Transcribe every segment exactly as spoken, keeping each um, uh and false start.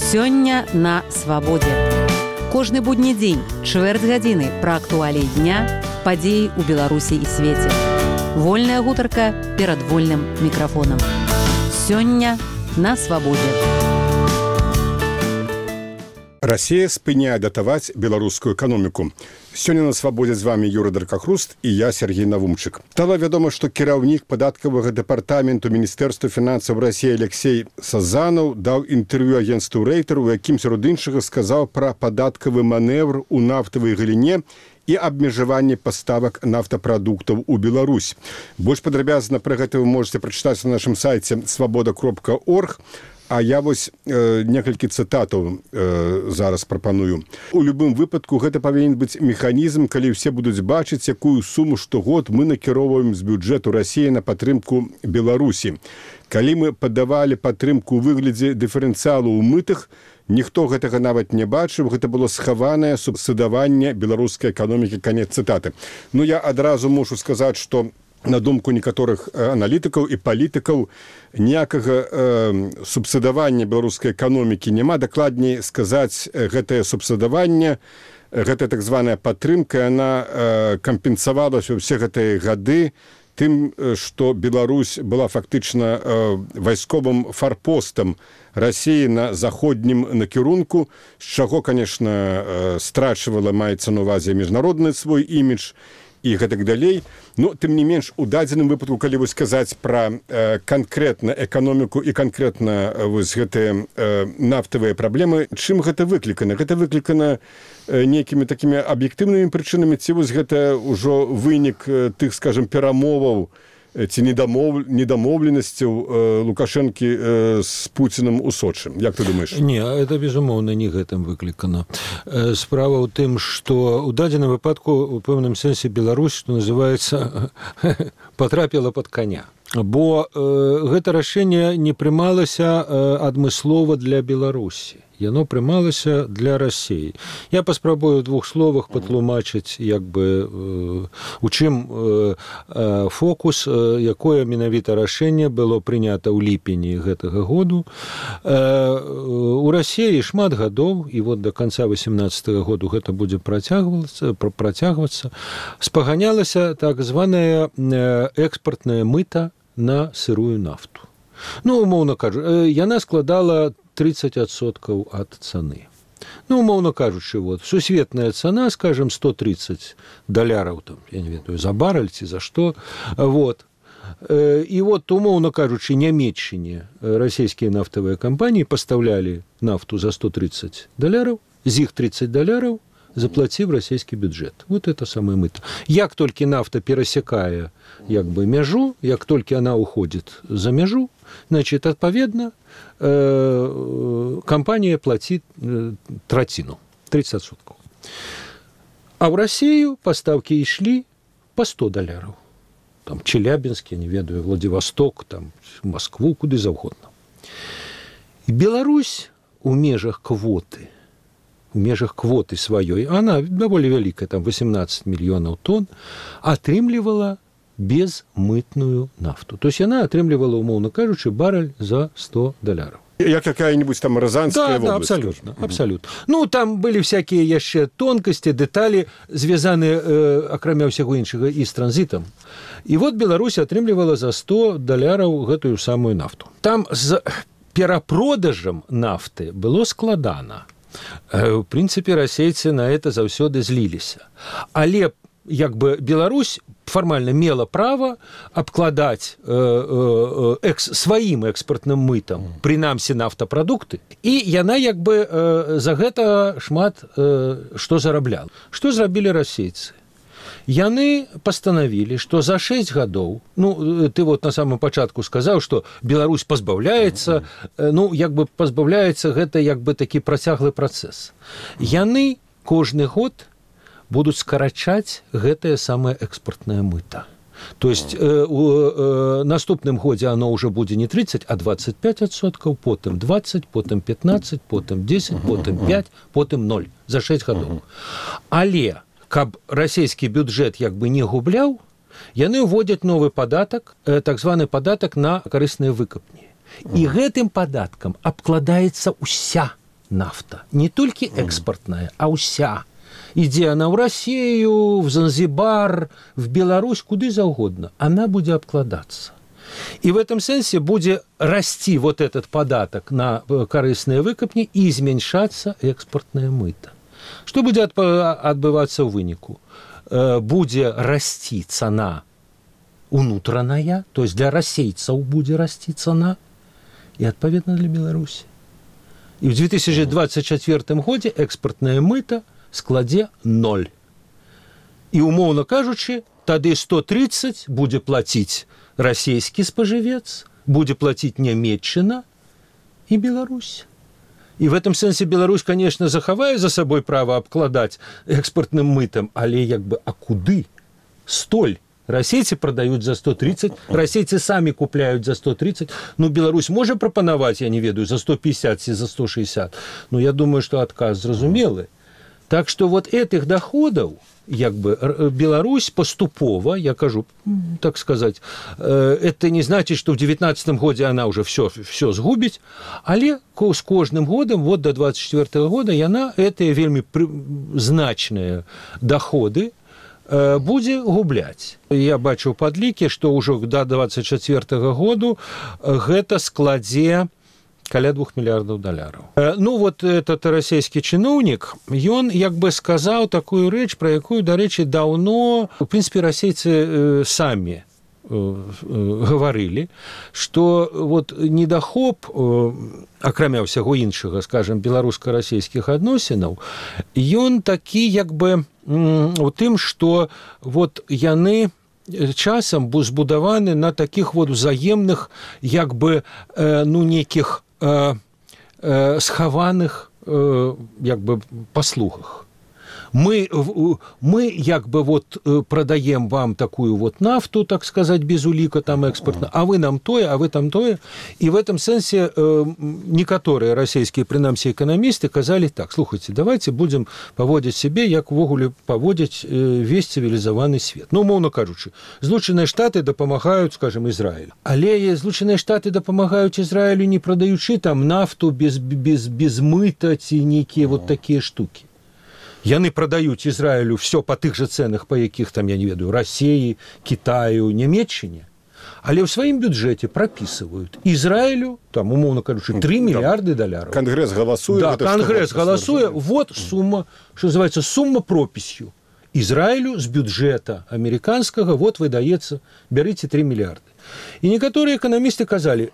Сёння на свабодзе. Кожны будні дзень, чвэрць гадзіны пра актуаліі дня, падзеі ў Беларусі і свеце. Вольная гутарка перад вольным мікрафонам. Сёння на свабодзе. Расія спыняе датаваць беларускую эканоміку. Сёння на свабодзе з вами Юрый Даркахруст і я, Сергей Навумчык. Стала вядома, што кіраўнік падаткавага дэпартаменту Міністэрства фінансаў Расіі Алексей Сазанаў даў інтэрв'ю агенцтву Рейтер, у якім сярод іншага сказаў пра падаткавы манеўр у нафтавай галіне і абмежаванне паставак нафтапрадуктаў у Беларусь. Больш падрабязна пра гэта вы можете прачытаць на нашым сайце свабода кропка орг. А я вось э, некалькі цытатаў э, зараз прапаную. У любым выпадку гэта павінен быць механізм, калі ўсе будуць бачыць, якую суму штогод мы накіроўваем з бюджэту Расіі на падтрымку Беларусі. Калі мы падавалі падтрымку ў выглядзе дыферэнцыялу ў мытах, ніхто гэтага нават не бачыў, гэта было схаванае субсідаванне беларускай эканомікі, канец цытаты. Ну, я адразу мушу сказаць, што на думку некаторых аналітыкаў і палітыкаў ніякага э, субсідавання беларускай эканомікі няма. Дакладней сказаць, гэтае субсідаванне, гэтая так званая падтрымка, яна э, кампенсавалася ўсе гэтыя гады тым, што Беларусь была фактычна э, вайсковым фарпостам Расіі на заходнім накірунку, з чаго, конечно, э, страчвала, маецца на ўвазе міжнародны свой імідж і гэтак далей. Ну, тым не менш, у дадзеным выпадку, калі вы сказаць пра э, канкрэтна эканоміку і канкрэтна э, вось гэтыя э, нафтавыя праблемы, чым гэта выклікана? Гэта выклікана э, нейкімі такімі аб'ектыўнымі прычынамі, ці вось гэта ўжо вынік э, тых, скажем, перамоваў ці недамоў... недамоўленасцяў э, Лукашэнкі э, з Пуцінам у Сочы. Як ты думаеш? Не, это, безумоўна, не гэтым выклікана. Э, справа ў тым, што ў дадзеным выпадку у пэўным сэнсе Беларусь, што называецца, патрапіла пад каня. Бо э, гэта рашэнне не прымалася э, адмыслова для Беларусі. Яно прымалася для Расіі. Я паспрабую ў двух словах патлумачыць, як бы, э, у чым э, э, фокус, э, якое менавіта рашэнне было прынята ў ліпені гэтага году. Э, у Расіі шмат гадоў, і вот да канца васемнаццатага году гэта будзе працягвацца, працягвацца, спаганялася так званая экспартная мыта на сырую нафту. Ну, умоўна кажу, яна складала тридцать адсоткаў ад цаны. Ну, умоўна кажучы, вот, сусветная цана, скажем, сто тридцать даляраў, там, я не ведаю, за барэль ці за што. Вот. І вот, умоўна кажучы, Нямецчыне расійскія нафтавыя кампаніі пастаўлялі нафту за сто тридцать даляраў, з іх тридцать даляраў заплаціў расійскі бюджет. Вот это самое мыто. Як толькі нафта перасякае як бы мяжу, як толькі она уходит за мяжу, значит, адпаведна, э, компания платит э, траціну, тридцать адсоткаў. А в Россию поставки шли по сто даляраў. Там Челябинск, я не ведаю, Владивосток, там Москву, куды заўгодна. Беларусь у межах квоты, у межах квоты сваёй, она даволі вялікая, там восемнадцать мільёнаў тонн, атрымлівала безмытную нафту. То есть она атрымлівала, умоўна кажучы, барэль за сто даляраў. Як какая-нибудь там Розанская да, область. Да, абсолютно, абсолютно. Ну, там были всякие яшчэ тонкости, детали, звязаныя, э, акрамя ўсяго іншага, і з транзітам. І вот Беларусь атрымлівала за сто даляраў гэтую самую нафту. Там з перапродажам нафты было складана. Э, в принципе, расейцы на это заўсёды зліліся. Але як бы Беларусь формально мела право обкладать э, э, экс, сваім экспартным мытам, прынамсі нафтапрадукты, і яна як бы э, за гэта шмат э, што зарабляла. Што зрабілі расейцы? Яны пастанавілі, што за шэсць гадоў, ну, ты вот на самом пачатку сказаў, што Беларусь пазбаўляецца, э, ну, як бы пазбаўляецца, гэта як бы такі працяглы працэс. Яны кожны год будуць скарачаць гэтае самае экспартнае мыта. То есть э, у э, наступным годзе оно уже будзе не тридцать, а двадцать пять адсоткаў, потым двадцать, потым пятнадцать, потым десять, потым пять, потым ноль за шэсць гадоў. Але каб расійскі бюджэт як бы не губляў, яны ўводзяць новы падатак, э, так званы падатак на карысныя выкапні. І гэтым падаткам абкладаецца ўся нафта. Не толькі экспартная, а ўся. Ідзе она ў Расію, в Занзибар, в Беларусь, куды заўгодна. Она будзе абкладацца. И в этом сенсе будет расти вот этот податок на корыстные выкопни и зменьшаться экспортное мыто. Что будет отбываться в вынику? Будет расти цена унутраная, то есть для расейцев будет расти цена, и отповедно для Беларуси. И в две тысячи двадцать четвёртым году экспортное мыто складе ноль. И, умовно кажучи, тады сто тридцать будет платить расійскі спажывец, будзе плаціць Нямецчына і Беларусь. І в этом сэнсе Беларусь, конечно, захавае за сабой права абкладаць экспартным мытам, але як бы, а куды? Столь. Расейцы прадаюць за сто тридцать, расейцы самі купляюць за сто тридцать. Ну, Беларусь можа прапанаваць, я не ведаю, за сто пятьдесят ці за сто шестьдесят. Ну, я думаю, што адказ зразумелы. Так што вот этих доходаў, як бы Беларусь поступова, я кажу, так сказать, это не значит, что в девятнадцатом году она уже все, все сгубить, але с каждым годом, вот до двадцать четвёртого года, она эти вельми значные доходы будзе губляць. Я бачу падлікі, што ўжо до двадцать четвёртого году гэта складзе каля двух миллиардов долларов. Ну, вот этот российский чиновник, он, як бы, сказал такую речь, про якую, до речи, давно, в принципе, российцы сами говорили, что вот недахоп, акрамя ўсяго іншага, скажем, беларуска-расійскіх адносінаў, ён такі, як бы, у тым, что вот яны часам збудаваны на таких вот взаемных, як бы, ну, неких Э, э, схаваных э, як бы паслугах. Мы, мы як бы вот продаем вам такую вот нафту, так сказать, без улика там экспортно, а вы нам тое, а вы там тое. И в этом сенсе э, некоторые российские, принамсі, экономисты казали так: слухайте, давайте будем поводить себе, як ввогуле поводить э, весь цивилизованный свет. Ну, умовно кажучи, Злученные Штаты дапамагаюць, скажем, Израилю. Але Злученные Штаты дапамагаюць Израилю, не продаючы там нафту без, без, без мыта ці некие вот такие штуки. Яны продаюць Израилю все по тых же ценах, по якіх там, я не ведаю, России, Китаю, Нямецчине, але ў сваім бюджэце прапісваюць Израилю, там, умовно кажучи, три миллиарда долларов. Конгресс голосует. Да, Конгресс голосует. Вот сумма, что называется, сумма прописью. Израилю с бюджета американского вот выдается, берите три миллиарда. И некоторые экономисты казали: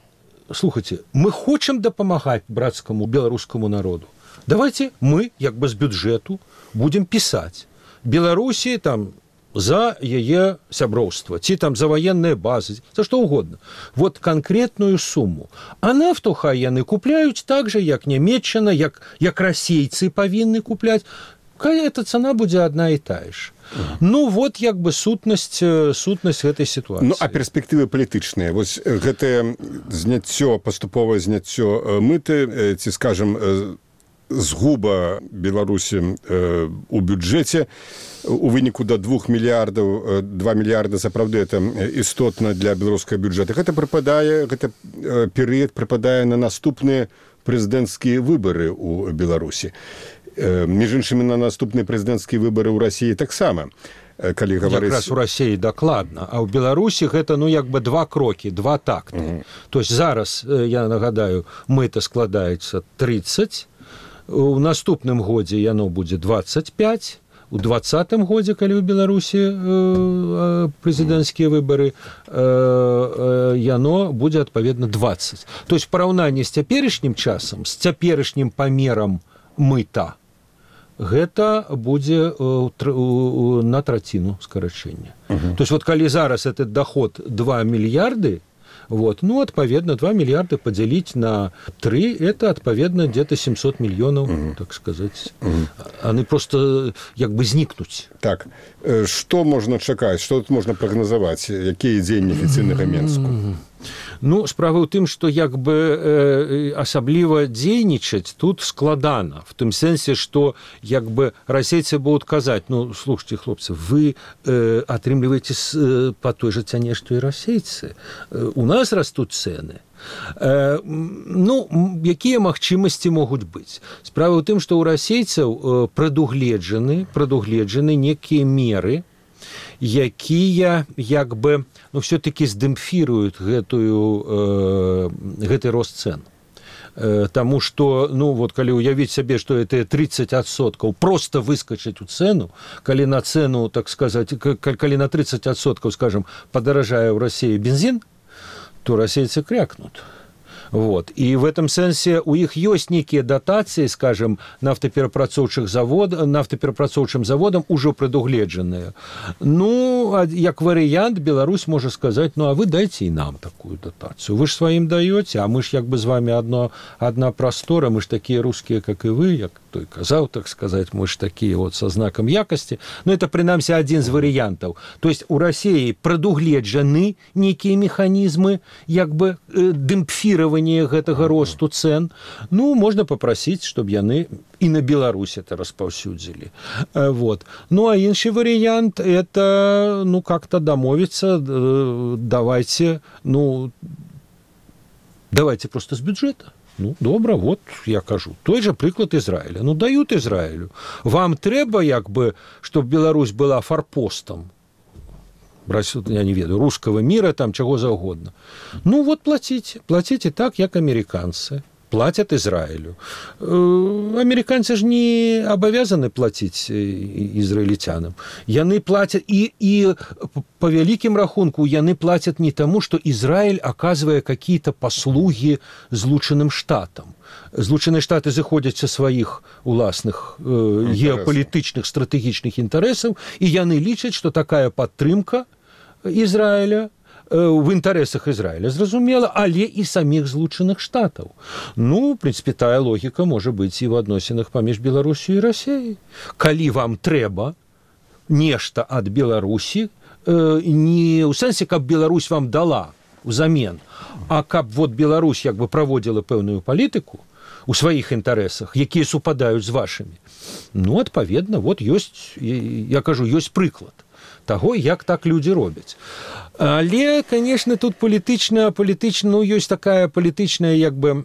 слушайте, мы хотим дапамагаць братскому белорусскому народу. Давайте мы, як бы, с бюджету будем писать Беларусі там за яе сяброўства, ці там за военные базы, за что угодно. Вот конкретную сумму. А нафту хай яны купляюць так же, як Нямецчына, як, як расейцы павінны купляць. Эта цена будзе одна и та ж. Ну, вот, як бы, сутнасць, сутнасць гэтай ситуации. Ну, а перспектывы палітычныя? Вось гэтае зняццё, паступовае зняццё мыты, ці, скажем, згуба Беларусі э, у бюджэце у выніку до двух мільярдаў, два мільярда, сапраўды, это істотна для беларускага бюджэта. Гэта прыпадае, гэта э, перыяд прыпадае на наступныя прэзідэнцкія выбары ў Беларусі. Э, між іншымі, на наступныя прэзідэнцкія выбары ў Расіі таксама. Калі гаварыць... Якраз у Расіі дакладна, а ў Беларусі гэта, ну, як бы два крокі, два такты. Mm-hmm. То есть зараз, я нагадаю, мыта складаецца тридцать, у наступным годзе яно будзе двадцать пять, у двадцатым годзе, калі ў Беларусі э, прэзідэнцкія выбары, э, э, яно будзе адпаведна двадцать. То есть параўнанне з цяперашнім часам, з цяперашнім памерам мыта, гэта будзе э, на траціну скарачэння. Uh-huh. То есть вот калі зараз этот доход два мільярды, вот, ну, отповедно, два миллиарда поделить на три, это, отповедно, где-то семьсот миллионов, угу. так сказать. Угу. Они просто, как бы, зникнуть. Так, что можно чакать, что тут можно прогнозовать? Какие дзені афіцыйнага Менску? Ну, справа ў тым, што як бы э, асабліва дзейнічаць тут складана, в тым сэнсе, што як бы расейцы будуць казаць, ну, слушайте, хлопцы, вы э, атрымліваеце э, па той жа цане, што і расейцы. Э, у нас растуць цэны. Э, ну, якія магчымасці могуць быць? Справа ў тым, што ў расейцаў э, прадугледжаны, прадугледжаны некія меры, якія як бы ну все-таки здэмпфіруюць гэтую э, гэты рост цен. Э, Таму што ну вот калі ўявіць сабе, што это тридцать адсоткаў просто выскачыць у цену, калі на цену, так сказаць, калі на тридцать адсоткаў, скажем, падаражае ў Расіі бензин, то расейцы крякнут. Вот. І в этом сэнсе у іх ёсць нейкія датацыі, скажем, нафтаперапрацоўчых завод, нафтаперапрацоўчым заводам ужо прадугледжаныя. Ну, як варыянт, Беларусь можа сказаць, ну, а вы дайце і нам такую датацыю. Вы ж сваім даёце, а мы ж як бы з вами одно, одна прастора, мы ж такія рускія, как і вы, як той казаў, так сказаць, мы ж такія вот со знаком якасці. Ну, это, прынамсі, адзін з варыянтаў. То есть у Расіі прадугледжаны нейкія механізмы, як бы дэмпфіравання гэтага росту цен. Ну, можна попросіць, чтобы яны і на Беларусь это распаўсюдзілі. Вот. Ну, а іншы варыянт, это, ну, как-то дамовіцца, давайте, ну, давайте просто з бюджета. Ну, добра, вот я кажу. Той же прыклад Ізраіля. Ну, дают Ізраілю. Вам трэба, як бы, чтобы Беларусь была форпостом, я не ведаю, русского мира, там, чего заўгодна. Ну, вот платите. Платите так, як американцы. Платят Израилю. Американцы же не обязаны платить израильтянам. Яны платят, и, и по великим рахунку, яны платят не тому, что Израиль оказывая какие-то послуги Злучаным Штатам. Злучаныя Штаты заходят со своих уласных э, геополитичных, стратегічных интересов, и яны лічаць, что такая падтрымка Израиля в інтарэсах Ізраіля, зразумела, але і саміх Злучаных Штатаў. Ну, в принципе, тая логіка можа быць і ў адносінах паміж Беларусю і Расіяй. Калі вам трэба нешта ад Беларусі, э, не ў сэнсе, каб Беларусь вам дала ўзамен, а каб вот Беларусь як бы праводзіла пэўную палітыку у сваіх інтарэсах, якія супадаюць з вашымі. Ну, адпаведна, вот ёсць, я кажу, ёсць прыклад таго, як так людзі робяць. Але, конечно, тут палітычна, палітычна, ну, ёсць такая палітычная, як бы,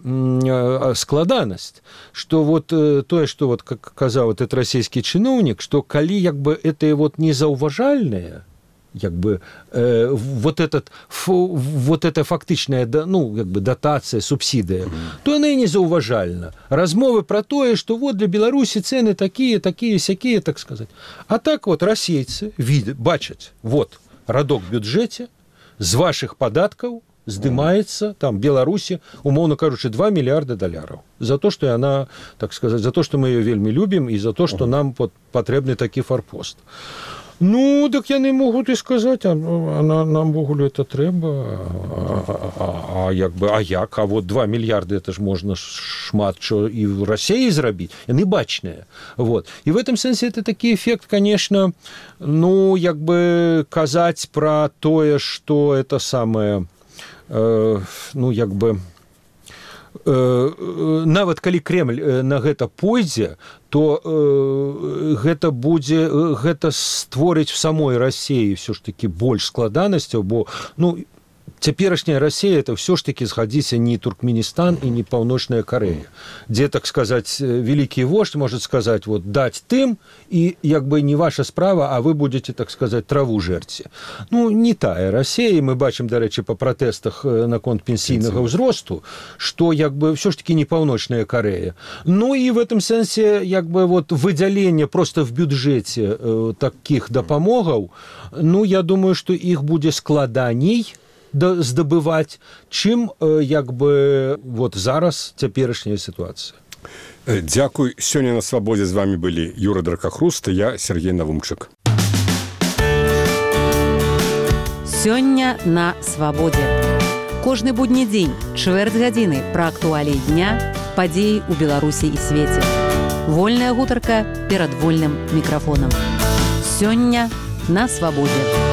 складанасць, што вот тое, што вот, как казаў этот расійскі чыноўнік, што калі, як бы, это вот незаўважальнае, як бы, э, вот, этот, фу, вот эта фактычная, ну, як бы, датацыя, субсідыя, mm-hmm. то яна і незаўважальна. Размовы пра тое, што вот для Беларусі цэны такія, такія, сякія, так сказаць. А так вот расейцы видят, бачаць, вот, радок в бюджэце, з вашых падаткаў здымаецца, там, Беларусі, умоўно кажучы, два мільярда даляраў. За то, што яна, так сказаць, за то, што мы ее вельмі любім, і за то, што нам вот, патрэбны такі форпост. Ну, так яны могуць і сказаць, а, а нам ввогуле это трэба, а, а, а як бы, а як, а вот два мільярды, это ж можна шмат чо і в Расіі зрабіць, яны бачныя. Вот. І в этом сэнсе это такі эффект, конечно, ну, як бы казаць пра тое, што это самае, э, ну, як бы, нават калі Кремль на гэта пойдзе, то э, гэта будзе, гэта створыць в самой Расіі все ж таки больш складанасцяў, бо, ну, цяперашняя Расія это все ж таки згадзіся не Туркменістан і не Паўночная Карэя, дзе, так сказаць, вялікі вождь может сказаць, вот, даць тым, і як бы не ваша справа, а вы будете, так сказаць, траву жэрці. Ну, не тая Расія, мы бачым, дарэчы, па пратэстах наконт пенсійнага ўзросту, што, як бы, все ж таки не Паўночная Карэя. Ну, і в этом сэнсе, як бы, вот, выдзяленне просто в бюджэце э, такіх дапамогаў, ну, я думаю, што іх будзе складаней здабываць, чым, як бы, вот зараз цяперашняя сітуацыя. Дзякуй. Сёння на свабодзе з вами былі Юра Дракахруст і я, Сергей Навумчык. Сёння на свабодзе. Кожны будні дзень, чвэрць гадзіны пра актуаліі дня, падзеі ў Беларусі і свеце. Вольная гутарка перад вольным мікрафонам. Сёння на свабодзе.